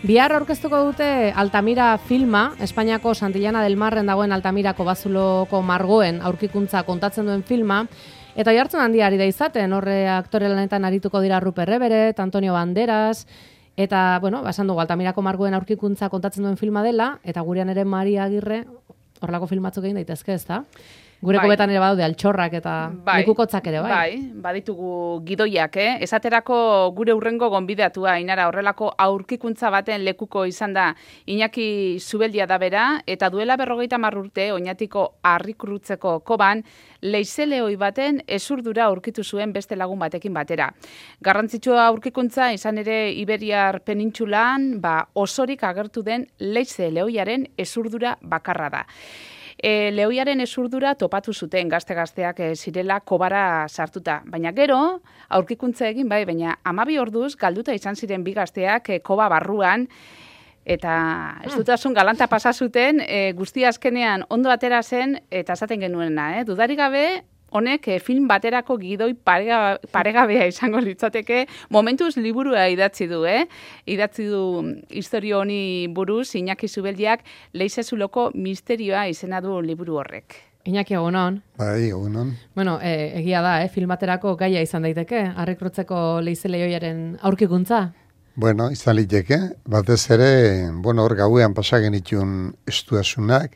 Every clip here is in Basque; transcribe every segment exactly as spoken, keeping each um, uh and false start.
Bihar aurkeztuko dute Altamira filma, Espainiako Santillana del Marren dagoen Altamirako bazuloko margoen aurkikuntza kontatzen duen filma, eta jartzen handia ari da izaten, horre aktore lanetan arituko dira Ruper Everett, Antonio Banderas, eta, bueno, basan dugu Altamirako margoen aurkikuntza kontatzen duen filma dela, eta gurean ere Maria Agirre horrelako filmatzuk egin daitezke, ez da? Gureko betan ere badaude altxorrak eta bai, lekukotzak ere, bai? Bai, baditugu gidoiak, eh? Esaterako gure urrengo gonbidatua, Inara, horrelako aurkikuntza baten lekuko izan da Iñaki Zubeldia da bera, eta duela berrogeita hamar urte, Oñatiko Arrikurutzeko koban, leizeleoi baten ezurdura aurkitu zuen beste lagun batekin batera. Garrantzitsua aurkikuntza izan ere Iberiar penintsulan, ba, osorik agertu den leizeleoiaren ezurdura bakarra da. E, lehoiaren ezurdura topatu zuten gazte-gazteak e, zirela kobara sartuta. Baina gero, aurkikuntza egin bai, baina hamabi orduz galduta izan ziren bi gazteak e, koba barruan, eta ez dutasun galanta pasa zuten, e, guzti azkenean ondo atera zen, eta esaten genuena, eh? Dudarik gabe, honek eh, film baterako gidoi parega, paregabea izango litzateke, momentuz liburua idatzi du, eh? Idatzi du historio honi buruz, Iñaki Zubeldiak Leizezuloko misterioa izena du liburu horrek. Iñaki, egunon. Bai, egunon. Bueno, e, egia da, eh? Film baterako gaia izan daiteke, Arrikurutzeko leizeleioiaren aurkikuntza. Bueno, izan liteke, batez ere, bueno, hor gauean pasa genitun estuasunak,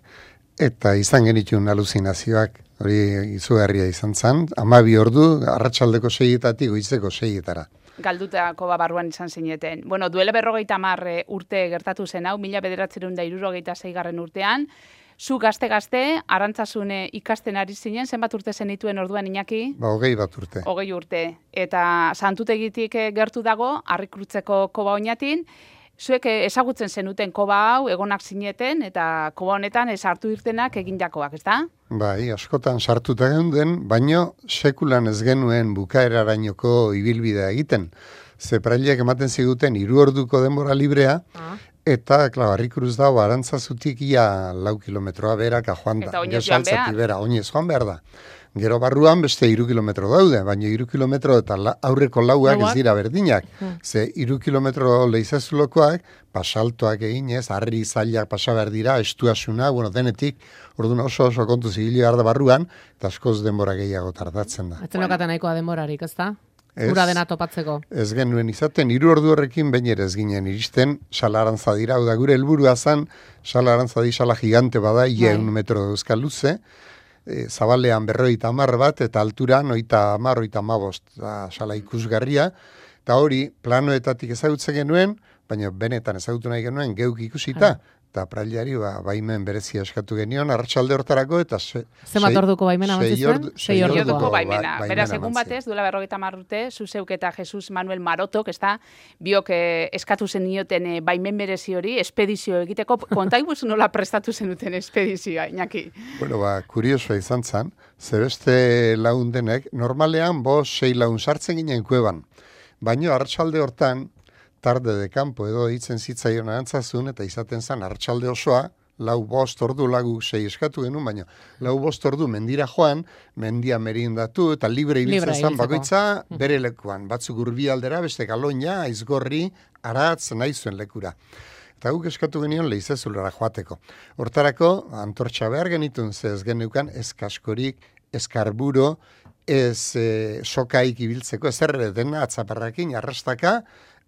eta izan genitun aluzinazioak, hori izugarria izan zen, hamabi ordu, arratsaldeko seietatik goizeko seietara. Galdutako barruan izan zineten. Bueno, duela berrogeita hamar urte gertatu zen hau, mila bederatziehun eta hirurogeita seigarren urtean, zu gazte-gazte, Arantzazune ikasten ari zinen, zenbat urte zenituen orduan, Iñaki? Ba, hogei bat urte. Hogei urte. Eta Santutegitik gertu dago, Arrikurutzeko koba Oñatin, zuek ezagutzen zenuten koba hau, egonak zineten, eta koba honetan ez hartu irtenak egin jakoak, ez da? Bai, askotan sartuta geunden, baino sekulan ez genuen bukaerarainoko ibilbidea egiten. Zeprailiak ematen ziguten hiru orduko denbora librea, ah. eta, klar, Arrikuruz dago, Arantzazutik ia lau kilometroa berak joan da. Eta oinez joan behar. Bera, oinez joan behar da. Gero barruan beste hiru kilometro daude, baina hiru kilometro eta la, aurreko lauak ez dira berdinak. Hmm. Ze hiru kilometro Leizezulokoak, pasaltoak eginez, harri zailak pasa behar dira, estuasuna, bueno, denetik, orduan oso oso kontu zibili behar da barruan, eta askoz denbora gehiago tardatzen da. Etzen okaten nahikoa denborarik, ez da? Ura dena topatzeko. Ez genuen izaten, hiru ordu horrekin baina ere ez ginen iristen, Salarantza dira, da gure helburua zen, Salarantza di sala gigante bada, ia un metro euskal luze, E, zabalean berroita hamar bat, eta alturan oita hamar, oita hamabost, sala ikusgarria, eta hori planoetatik ezagutzen genuen, baina benetan ezagutu nahi genuen geuk ikusita, eta prailari ba, baimen berezia eskatu genion, arratsalde hortarako, eta se, zenbat orduko baimena amatzen sei orduko baimena. Beraz, egun batez, duela berrogeita hamar urte, zuzeuk eta Jesus Manuel Marotok, ez da, biok eh, eskatu zen nioten eh, baimen berezi hori, espedizio egiteko, kontaibuz nola prestatu zenuten espedizioa, Iñaki? Bueno, ba, kuriosoa izan zen, zebeste laun denek, normalean bo sei laun sartzen ginen kueban, baina arratsalde hortan, tarde de campo edo ditzen zitzaion Arantzazun, eta izaten zen arratsalde osoa, lau bost ordu lagu sei eskatu genuen, baina lau bost ordu mendira joan, mendia merindatu, eta libre ibiltzen zen bakoitza bere lekuan. Batzuk urbi aldera, beste Galoina, Aizgorri, Aratz, nahi zuen lekura. Eta guk eskatu genion Leizezulara joateko. Hortarako, antortxa behar genitun, ze ez geneukan, ez kaskorik, ez karburo, ez e, sokaik ibiltzeko, ez erre dena atzaparrakin, arrastaka,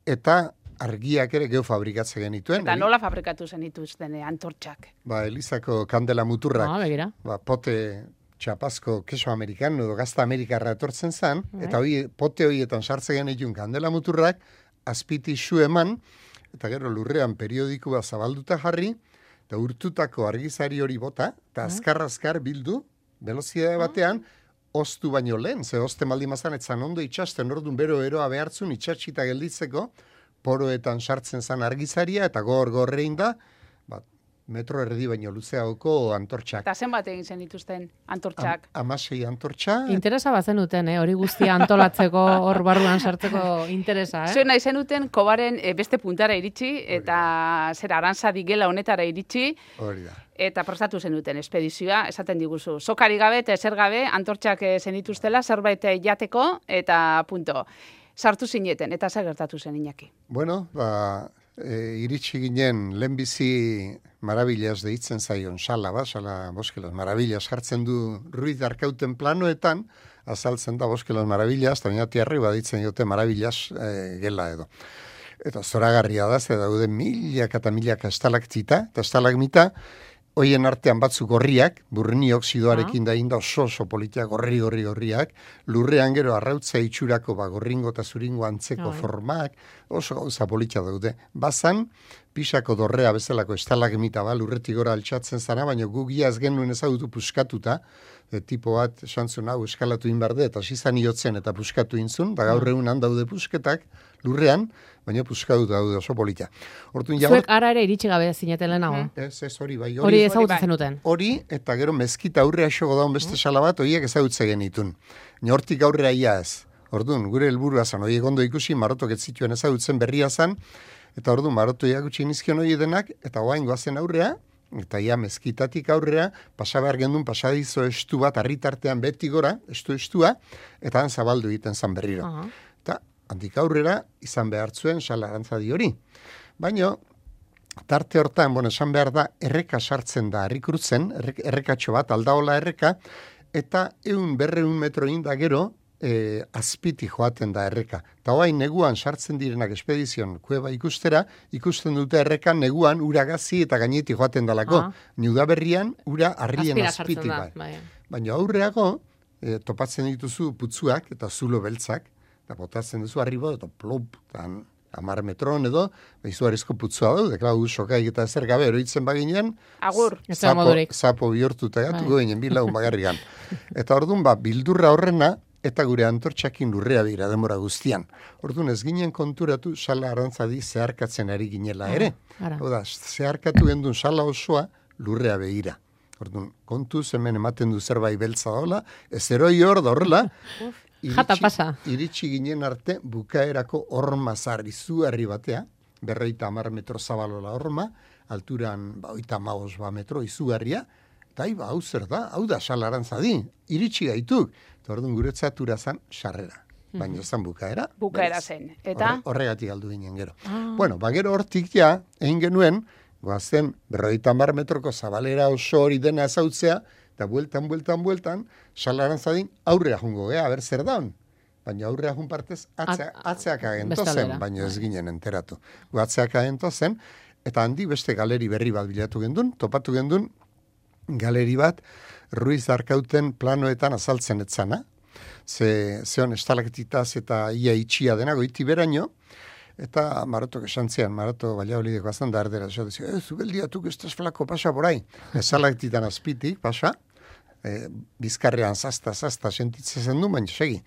eta argiak ere geho fabrikatzen genituen. Eta nola fabrikatu zen dituzten antortxak? Ba, Elizako kandela muturrak. Ah, begira. Ba, pote txapazko keso amerikano edo gazta amerikarra etortzen zen, Bai. Eta hoi, pote horietan sartzen genituen kandela muturrak, azpiti su eman, eta gero lurrean periodikoa zabalduta jarri, eta urtutako argizari hori bota, eta azkar-azkar bildu, velozidade batean, oztu baino lehen, ze ozte maldi mazan, etzan ondo itxasten, orduan bero eroa behartzun, itxatxita gelditzeko, poroetan sartzen zan argizaria, eta gor-gorrein da, bat, metro erdi baino luzeagoko antortxak. Eta zenbat egin zen dituzten antortxak? Am, amasei antortxa. Interesa bazen duten, eh? Hori guztia antolatzeko, hor barruan sartzeko interesa, eh? Zuen nahi zenuten kobaren e, beste puntara iritsi, eta zer arantza digela honetara iritsi, hori da. Eta prestatu zenuten espedizioa, esaten diguzu. Sokari gabe eta ezer gabe antortxak zenituztela, zerbait jateko, eta punto. Sartu zineten, eta zer gertatu zen, Iñaki? Bueno, ba, e, iritsi ginen lehenbizi Maravillas deitzen zaion sala, ba, sala Bosque Maravillas jartzen du Ruiz de Arkauten planoetan, azaltzen da Bosque Maravillas, eta baina tiarri baditzen jote Maravillas e, gela edo. Eta zoragarria da, ze daude milaka eta milaka estalaktita, eta estalagmita, hoien artean batzuk gorriak, burni oksidoarekin da inda oso oso politia gorri gorri gorriak, lurrean gero arrautza itxurako ba, gorringo eta zuringo antzeko formak, oso gauza politia daude. Bazan, pisako dorrea bezalako estalagmita ba, lurretik gora altxatzen zara, baina gugia ez genuen ezagutu puskatuta, e, tipo bat esantzun hau eskalatu inbarde, eta sizan iotzen eta puskatu intzun, da gaur egun handaude pusketak lurrean, baina puskatu daude oso politia. Hortun ja, zuek ara ere iritsi gabe zineten lehenago? Ez, ez hori bai. Hori ezagutzen zenuten? Hori, eta gero mezkita aurrea xogo daun beste sala bat, horiek ezagutze genitun. Hortik aurrea ia ez. Orduan, gure helburua zan, horiek ondo ikusi, marotok ez zituen ezagutzen berria zan, eta orduan, maroto iagutsi nizkion hori denak, eta oain goazen aurrea, eta ia mezkitatik aurrea, pasabehar gendun pasadizo estu bat, arritartean beti gora, estu-estua, eta han zabaldu egiten zan berriro. Uh -huh. Eta, handik aurrera, izan behar zuen sala arantzadi hori. Baina, tarte hortan, bueno, esan behar da, erreka sartzen da, errikurutzen, errekatxo bat, aldaola erreka, eta eun berreun metro inda gero, e, azpiti joaten da erreka. Eta hoain neguan sartzen direnak espedizion kueba ikustera, ikusten dute errekan neguan uragazi eta gaineti joaten dalako. Ah. Niudaberrian ura harrien azpiti bai. Baina aurreago, e, topatzen dituzu putzuak eta zulo beltzak, eta botatzen duzu arribo, eta plop, tan, amar metron edo, izugarrizko putzua daude, klau, sokaik eta ezer gabe eroitzen baginean, agur, zapo, zapo bihurtuta gatuko ginen bilagun bagarrigan. Eta orduan, ba, bildurra horrena, eta gure antortxakin lurrea dira demora guztian. Orduan, ez ginen konturatu sala arantzadi zeharkatzen ari ginela ere. Hau da, zeharkatu gendun sala osoa lurrea behira. Orduan, kontuz hemen ematen du zerbait beltza daola, ez eroi hor da horrela, Jata pasa. Iritsi ginen arte bukaerako horma zar izugarri batea, berreita amar metro zabalola horma, alturan ba, oita maos ba metro izugarria, eta iba, hau zer da, hau da salarantzadi, iritsi gaituk. Eta orduan guretzatura zan sarrera. Baina mm-hmm. zan bukaera. Bukaera zen. Eta? Horre, horregatik aldu ginen gero. Ah. Bueno, bagero hortik ja, egin genuen, goazen berreita amar metroko zabalera oso hori dena ezautzea, eta bueltan, bueltan, bueltan, salarantzadin aurrea jungo, gea, ber zer daun. Baina aurrea jun partez, atzea, atzeak agentozen, baina ez ginen enteratu. Atzeak agentozen, eta handi beste galeri berri bat bilatu gendun, topatu gendun, galeri bat, Ruiz Arkauten planoetan azaltzen etzana, ze, zeon estalaktitaz eta ia itxia dena, goiti beraino, eta Marotok esantzean, Maroto Valladolideko azan da erdera, ez zubeldiatuk estaz flako pasa borai, estalaktitan azpitik pasa, e, bizkarrean zazta, zazta sentitzen zen du, baina segi,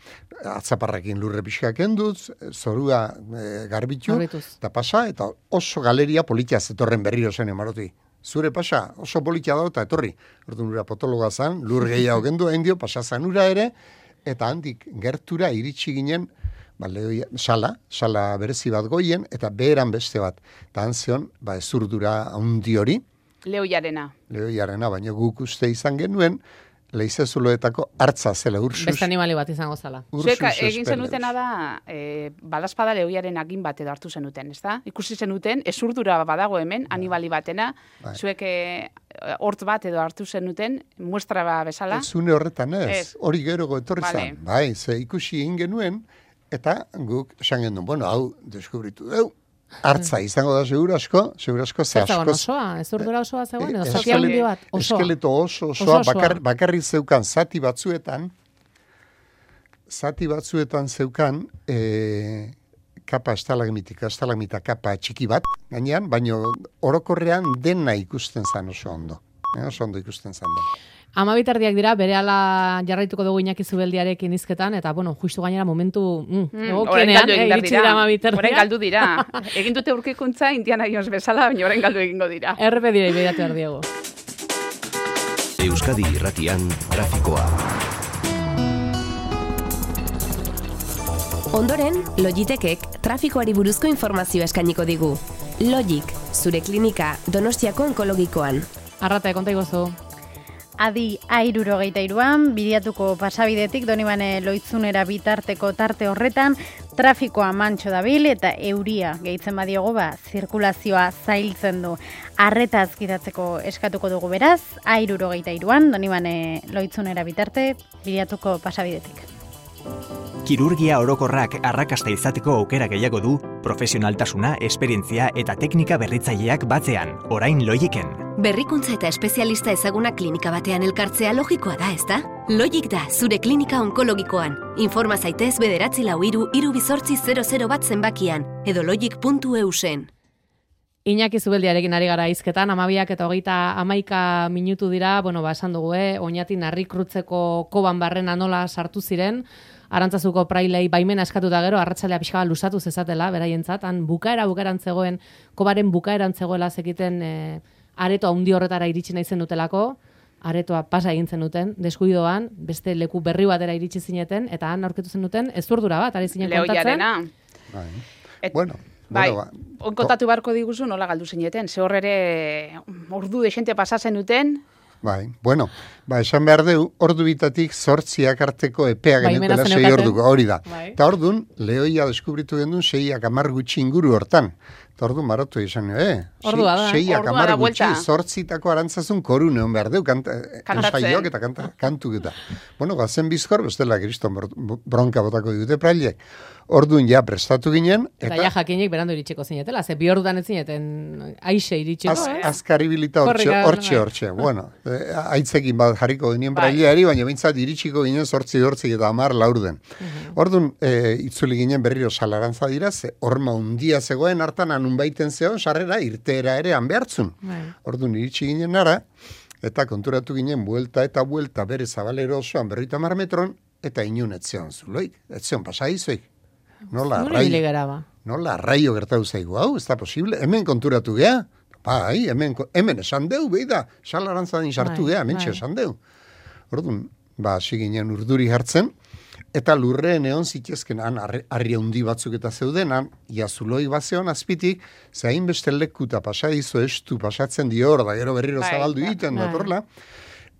atzaparrakin lurre pixkak enduz, zorua e, garbitu, eta pasa, eta oso galeria politia zetorren berriro zen, Maroti. Zure pasa, oso politia da eta etorri. Orduan ura potologa zan, lur gehiago gendu, endio, pasa zanura ere, eta handik gertura iritsi ginen, ba, lehoia, sala, sala berezi bat goien, eta beheran beste bat. Eta antzion, ba, ezurdura handi hori. Lehoiarena. Lehoiarena, baina guk uste izan genuen, leizezuloetako hartza zela, ursus. Beste animali bat izango zala. Zuek egin zenutena da, e, balazpada lehoiaren agin bat edo hartu zenuten, ez da? Ikusi zenuten, ezurdura badago hemen, animali batena, bai. Zuek e, hort bat edo hartu zenuten, muestra ba bezala. Ez zune horretan ez, hori gerogo etorri vale. Zan. Bai, ze ikusi egin genuen, eta guk esan genuen, bueno, hau, deskubritu deu, hartza izango da segura asko, segura asko, ze asko. Osoa, ez urdura osoa zegoen, edo zati handi bat, osoa. Eskeleto oso, osoa, bakar, bakarri zeukan zati batzuetan, zati batzuetan zeukan, e, kapa estalagmitika, estalagmita kapa txiki bat, gainean, baino orokorrean dena ikusten zan oso ondo. E, oso ondo ikusten zan den. Amabitardiak dira, berehala jarraituko dugu Iñaki Zubeldiarekin izketan, eta, bueno, justu gainera momentu mm, mm, egokienean, eh, iritsi dira Amabitardiak. Horen galdu dira. Egin dute urkikuntza Indiana Jones bezala, baina horen galdu egingo dira. Errepe dira, ibeiatu erdiego. Euskadi Irratian, trafikoa. Ondoren, Logitekek trafikoari buruzko informazioa eskainiko digu. Logik, zure klinika Donostiako onkologikoan. Arrata, konta igozu. Adi airurogeita iruan, bidiatuko pasabidetik Donibane Loitzunera bitarteko tarte horretan, Trafikoa mantxo dabil eta euria gehitzen badiogu, ba, zirkulazioa zailtzen du. Arretaz gidatzeko eskatuko dugu beraz, airurogeita iruan, Donibane Loitzunera bitarte, bilatuko pasabidetik. Kirurgia orokorrak arrakasta izateko aukera gehiago du, profesionaltasuna, esperientzia eta teknika berritzaileak batzean, orain Logiken. Berrikuntza eta espezialista ezaguna klinika batean elkartzea logikoa da, ezta? Logik da, zure klinika onkologikoan. Informa zaitez bederatzi lau iru, iru bizortzi zero zero bat zenbakian, edo logik puntu eu zen. Iñaki Zubeldiarekin ari gara hizketan, amabiak eta hogeita amaika minutu dira, bueno, ba, esan dugu, eh? Oñati narrikrutzeko koban barrena nola sartu ziren, Arantzazuko prailei baimena eskatuta gero, arratsalea pixka bat luzatu zezatela, beraientzat, han bukaera bukaeran zegoen, kobaren bukaeran zegoela zekiten e, areto handi horretara iritsi nahi zen dutelako, aretoa pasa egin zen duten, deskuidoan, beste leku berri batera iritsi zineten, eta han aurkitu zen duten ezurdura bat, ari zinen kontatzen. Bai. Et, bueno, bai, bueno, ba, kontatu beharko diguzu nola galdu zineten, ze horrere ordu desente pasatzen duten. Bai, bueno, ba, esan behar du, ordu bitatik zortziak arteko epea bai, genukela sei orduko, hori da. Bai. Eta orduan, lehoia deskubritu gendun seiak amar gutxi inguru hortan. Eta orduan maratu izan, eh? Ordua da. Seiak amar gutxi zortzitako arantzazun koru neon behar du, kanta, ensaiok eta kanta, kantu eta. Bueno, gazen bizkor, bestela kriston bronka botako dute prailek. Orduan ja prestatu ginen. Eta, eta ja jakinik berandu iritsiko zinetela, ze bi orduan ez zineten aixe iritsiko. Az, azkaribilita hortxe, hortxe, hortxe. Bueno, aitzekin bat jarriko genien praileari, baina bintzat iritsiko ginen zortzi dortzik eta amar laurden. Uh-huh. Orduan, e, itzuli ginen berriro salarantza dira, ze horma undia zegoen hartan anun baiten zeon, sarrera irteera ere hanbehartzun. Uh-huh. Orduan iritsi ginen nara, eta konturatu ginen buelta eta buelta bere zabalero osoan berrita mar metron, eta inun etzeon zuloik, etzeon pasaizoik. Nola arraio, nola arraio gertatu zaigu hau, ez da posible, hemen konturatu gea, bai, hemen, hemen esan deu, behi da, salarantzadin sartu gea, hemen esan deu. Orduan, ba, siginen urduri hartzen, eta lurreen egon zitezken, han, harri handi batzuk eta zeudenan, iazuloi bazeon azpitik, zehain beste lekuta pasadizo estu pasatzen dio hor, da gero berriro zabaldu egiten, datorla,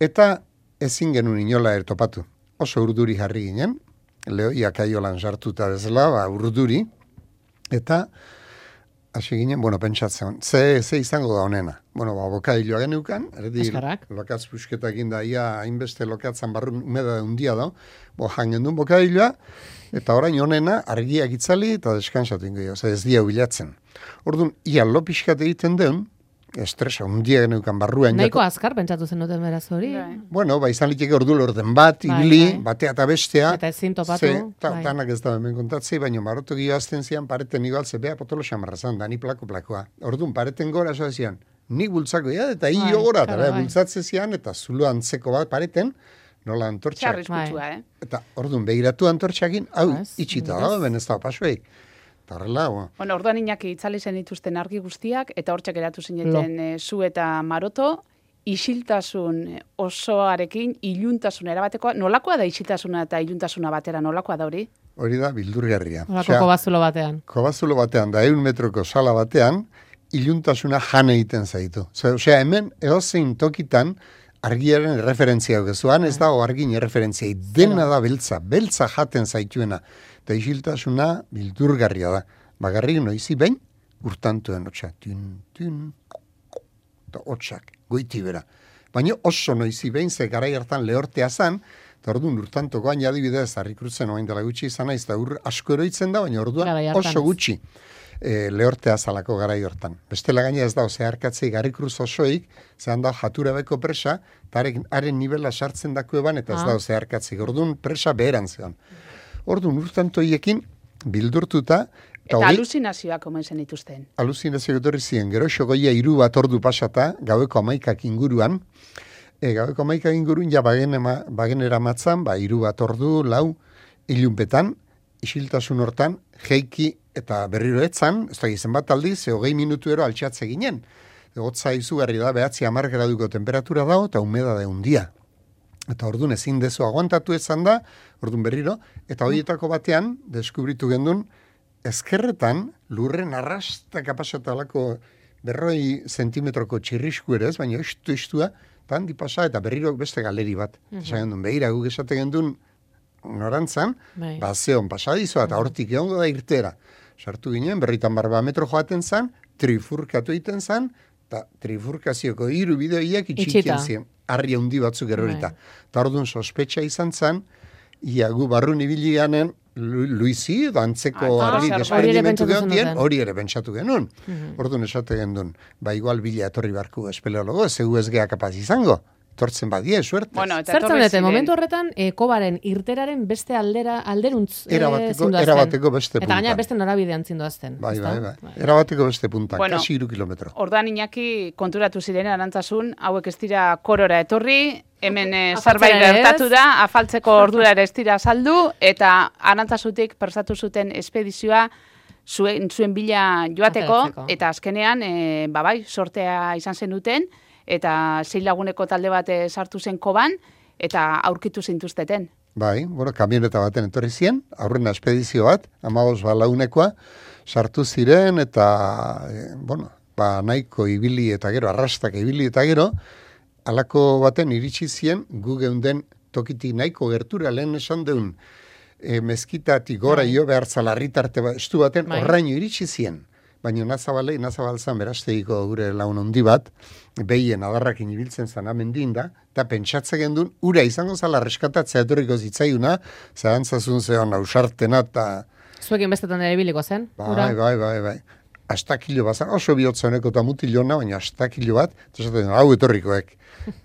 eta ezin genuen inola ertopatu. Oso urduri jarri ginen, lehoiak aiolan sartuta bezala, ba, urduri, eta hasi ginen, bueno, pentsatzen, ze, ze izango da honena. Bueno, ba, bokadilloa genukan, erdi lokatz pusketak inda, ia hainbeste lokatzan barrun umeda undia da, bo, jangen duen bokadilloa, eta orain honena, argiak itzali, eta deskansatu ingo, oza, ez dia bilatzen. Orduan, ia lo pixkat egiten den, estresa, undia genukan barruan. Nahiko jako... azkar pentsatu zen duten beraz hori. Bueno, ba, izan liteke ordu lorten bat, bai, ibili, bai. Batea eta bestea. Eta ezin topatu. Ze, ta, bai. Tanak ez da hemen kontatzei, baina marotu gioazten zian pareten igual, zebea potolo xamarra zan, da ni plako plakoa. Orduan, pareten gora soa zian, nik bultzako ya, eta bai, hio gora, eta bai. Bultzatze zian, eta zulo antzeko bat pareten, nola antortxak. Txarrizkutsua, eh? Eta orduan, behiratu antortxakin, hau, itxita da, ben ez da pasueik. Tarrela, bueno, orduan Iñaki itzali zen dituzten argi guztiak, eta hortxak eratu zineten e, zu eta maroto, isiltasun osoarekin, iluntasun erabatekoa, nolakoa da isiltasuna eta iluntasuna batera, nolakoa da hori? Hori da, bildurgarria. Nolako kobazulo batean. Kobazulo batean, da eun metroko sala batean, iluntasuna jane egiten zaitu. Osea, hemen, eozein tokitan, argiaren referentzia gezuan, ez da, argin referentzia, dena da beltza, beltza jaten zaituena. Eta isiltasuna bildurgarria da. Bagarrik noizi behin, urtantuen hotxa. Tun, tun, eta hotxak, goiti bera. Baina oso noizi behin, ze garai hartan lehortea zan, eta orduan urtantokoan adibidez, harrikrutzen oain dela gutxi izan naiz, eta ur asko eroitzen da, baina orduan oso gutxi e, lehortea zalako garai hortan. Bestela gaina ez da, zeharkatzei garrikruz osoik, zehan da jaturabeko presa, eta haren nivela sartzen dako eban, eta ez da, zeharkatzei. Orduan presa beheran zean. Orduan urtantoiekin bildurtuta. Eta hori, aluzinazioak omen zen dituzten. Aluzinazioak etorri ziren, gero xogoia hiru bat ordu pasata, gaueko amaikak inguruan. E, gaueko amaikak inguruan, ja bagen, ema, bagen eramatzan, ba, hiru bat ordu, lau, ilunpetan, isiltasun hortan, jeiki eta berriro etzan, ez da gizien bat aldiz, hogei minutu ero altxatze ginen. Gotza izugarri da, behatzi hamar graduko temperatura dago, eta humeda da undia. Eta orduan ezin dezu aguantatu ezan da, orduan berriro, eta horietako batean, deskubritu gendun, ezkerretan, lurren arrasta kapasatalako berroi zentimetroko txirrisku ere ez, baina estu estua, eta handi pasa, eta berriro beste galeri bat. Mm-hmm. Esan gendun, behira, guk esate gendun, norantzan, Bai. ba, zeon pasadizoa, eta hortik egongo da irtera. Sartu ginen, berritan barba metro joaten zan, trifurkatu egiten zan, eta trifurkazioko hiru bideoiak itxikien ziren, harri handi batzuk erorita. Eta orduan sospetxa izan zan, ia gu barrun ibili ganen, Luizi, edo antzeko Ah, harri hori ere desperdimentu pentsatu gehontien, zenuten. hori ere pentsatu genuen. Orduan esate gendun, ba igual bila etorri barku espeleologo, zeu ez gea kapaz izango. Tortzen badie, suertez. Bueno, eta Zertzen etorri dute, ziren. momentu horretan, e, kobaren irteraren beste aldera, alderuntz e, Erabateko- zindoazten. erabateko beste Eta gaina puntan. beste norabidean zindoazten. Bai, ezta? bai, bai. Erabateko beste puntan, Bueno, kasi iru kilometro. Orduan Iñaki konturatu ziren arantzasun, hauek ez dira korora etorri, hemen eh, Afaltzera zerbait ere ez. gertatu da, afaltzeko ordura ere ez dira saldu, eta arantzasutik prestatu zuten espedizioa zuen, zuen bila joateko, Ateratzeko. eta azkenean, e, babai, sortea izan zen duten, eta sei laguneko talde bat eh, sartu zen koban, eta aurkitu zintuzteten. Bai, bueno, kamioneta baten etorri zien, aurrena espedizio bat, amabos balaunekoa, sartu ziren, eta, e, bueno, ba, nahiko ibili eta gero, arrastak ibili eta gero, halako baten iritsi zien, gu geunden tokitik nahiko gertura lehen esan deun, e, mezkitatik gora Bai. jo behar zalarritarte ba, estu baten, Bai. horraino iritsi zien. Baina nazabalei, nazabalzan beraztegiko gure laun handi bat, behien adarrakin ibiltzen zan amendin da, eta pentsatze gendun, ura izango zala reskatatzea etorriko zitzaiuna, zahantzazun zeon ausartena, eta Zuekin bestetan ere biliko zen? ura? bai, bai, bai, bai. Astakilo bat, zan, oso bihotza honeko eta mutilona, baina astakilo bat, eta esaten, hau etorrikoek.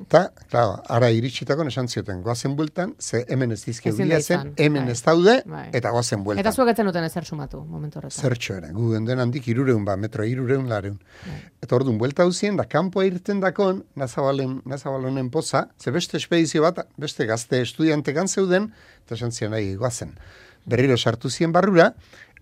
Eta, claro, ara iritsitako esan zioten, goazen bueltan, ze hemen ez dizke Ezin da hulia zen, izan, hemen bai. ez daude, Bai. eta goazen bueltan. Eta zuek etzen duten ezer sumatu, momentu horretan. Zertxo ere, gu genden handik irureun ba, metro irureun lareun. Eta orduan, buelta hauzien, da kanpoa irten dakon, nazabalen, nazabalonen poza, ze beste espedizio bat, beste gazte estudiantekan zeuden, eta esan zian nahi goazen. Berriro sartu zien barrura,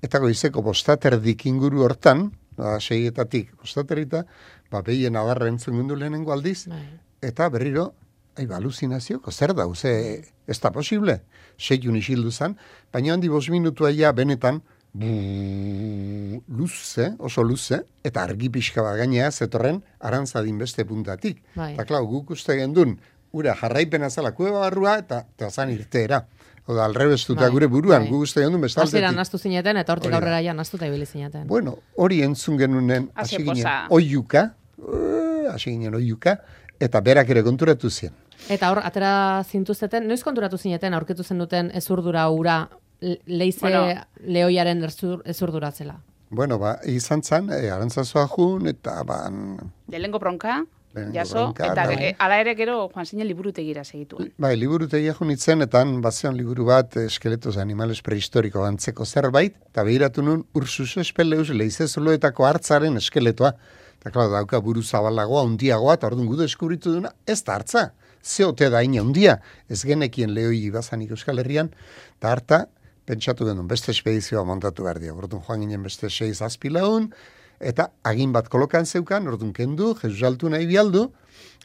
eta goizeko bostaterdik inguru hortan, ba, seietatik bostaterrita, ba, behien adarra entzun gundu lehenengo aldiz, Bai. eta berriro, ai, ba, alucinazioko, zer da, ze, ez da posible, seiun isildu zan, baina handi bos minutua ja benetan, bu, luze, oso luze, eta argi pixka bat gainea zetorren arantzadin beste puntatik. Bai. Eta klau, guk uste gendun, ura jarraipena zala kueba barrua, eta, eta zan irteera. Oda, alrebestuta Bai, gure buruan, bai. guk uste gendun bestaldetik. Hasieran nastu zineten, eta hortik Hori da. aurrera ja nastuta ibili zineten. Bueno, hori entzun genunen, Haze hasi ginen poza. oiuka, eh, hasi ginen oiuka, eta berak ere konturatu zien. Eta hor, atera zintuzteten, noiz konturatu zineten, aurkitu zen duten ezurdura ura, le- leize Bueno. lehoiaren erzur, ezurduratzela. Bueno, ba, izan zan, e, arantzazoa jun, eta ban, Lehengo bronka, Lehenengo jaso, bronka, eta bai. ge- hala ere gero Juan Zinen liburutegira segituen. bai, liburutegia junitzen, eta han bazeon liburu bat, eskeletos de animales prehistoriko antzeko zerbait, eta behiratu nun, ursus espeleus leizezoloetako hartzaren eskeletoa. Eta, klar, dauka buru zabalagoa, hundiagoa, eta orduan gudu eskubritu duna, ez da hartza. Zeote da ina hundia, ez genekien lehoi bazanik Euskal Herrian, eta harta, pentsatu genuen, beste espedizioa montatu behar dira. Orduan joan ginen beste sei zazpi laun, eta agin bat kolokan zeukan, orduan kendu, Jesus Altuna ibialdu,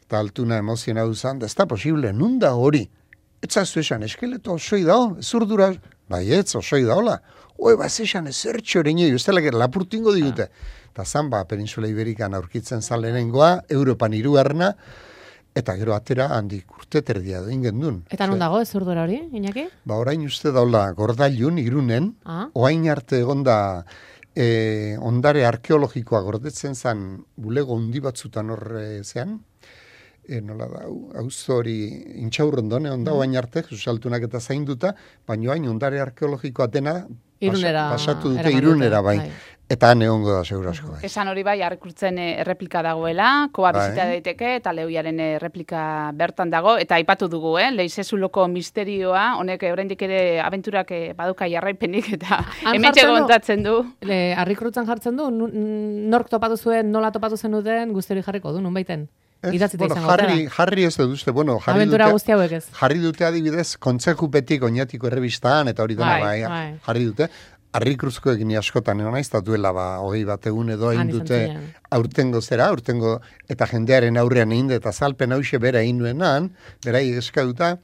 eta Altuna emoziona duzan, da ez da posible, nun da hori? Etzazu esan, eskeleto osoi dao, zurdura, bai ez, osoi daola. Oe, ba, ez esan, ez zertxo ere nio, ez dela lapurtingo digute. Eta zan, ba, Peninsula Iberikan aurkitzen zan lehenengoa, Europan hirugarrena, eta gero atera handik urte terdia doin gendun. Eta non dago ezurdura hori, Iñaki? Ba, orain uste daula gordailun, irunen, Ah. oain arte egonda e, ondare arkeologikoa gordetzen zan bulego hundi batzutan hor e, zean, e, nola da, auzo hori intxaurrondone onda oain arte, susaltunak eta zainduta, baina hain ondare arkeologikoa dena Irunera pasatu dute eraman irunera dute, bai. bai. Eta han egongo da segurasko bai. Esan hori bai, arrekurtzen eh, erreplika dagoela, koa Bai. bizita daiteke, eta lehoiaren erreplika bertan dago, eta aipatu dugu, eh? Leizezuloko misterioa, honek eh, oraindik ere abenturak eh, baduka jarraipenik, eta Han hementxe jartzen du? kontatzen du. Le, harrikrutzen jartzen du, nu- n- nork topatu zuen, nola topatu zen duten, guzti hori jarriko du, nun baiten. Ez, Idatzita bueno, izango jarri, dela. jarri ez dut uste, bueno, jarri Abentura dute, guzti hauek ez. jarri dute adibidez, kontzejupetik oinatiko errebistaan, eta hori dena, Bai, bai, bai. jarri dute. Harri kruzkoekin ni askotan egon naiz, eta duela ba, hogei bat egun edo Han egin izan dute ziren. aurtengo zera, aurtengo eta jendearen aurrean egin dut, eta zalpen hause bera egin nuenan, berai eskauta,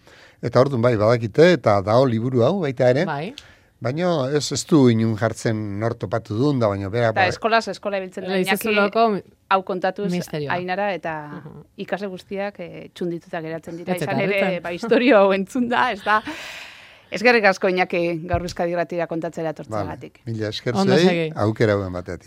eta orduan bai badakite, eta dao liburu hau baita ere, Bai. baina ez ez du inun jartzen nor topatu duen, da baina bera, Eta ba, eskolaz, eskola ibiltzen da Iñaki, Leizezuloko hau kontatuz misterioa. Ainara, eta ikasle guztiak eh, txundituta geratzen dira. Ez Izan eta ere, harritzen. ba, historio hau entzun da, ez da. Eskerrik asko Iñaki gaur Euskadi Irratira kontatzera etortzeagatik. Vale. Mila esker Ondo zei, segi. aukera hauen batetik.